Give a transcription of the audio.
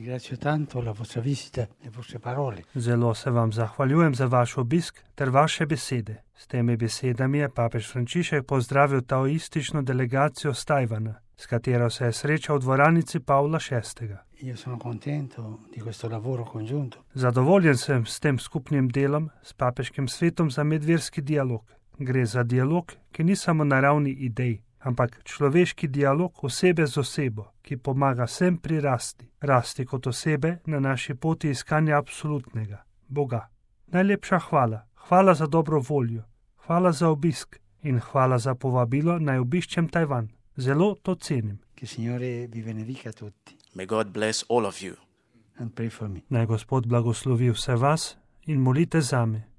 Ringrazio tanto la vostra visita, le vostre parole. Zelo se vam zahvaljujem za vaš obisk ter vaše besede. S temi besedami je papež Frančišek pozdravil taoistično delegacijo z Tajvana, s katero se je srečal v dvoranici Pavla VI. Io sono contento di questo lavoro congiunto. Zadovoljen sem s tem skupnim delom s papeškim svetom za medverski dialog. Gre za dialog, ki ni samo na ravni idej, ampak človeški dialog osebe z osebo, ki pomaga vsem rasti kot osebe na naši poti iskanja absolutnega, Boga. Najlepša hvala. Hvala za dobro voljo. Hvala za obisk in hvala za povabilo, naj obiščem Tajvan. Zelo to cenim. Che Signore vi benedica tutti. May God bless all of you. And pray for me. Naj Gospod blagoslovi vse vas in molite zame.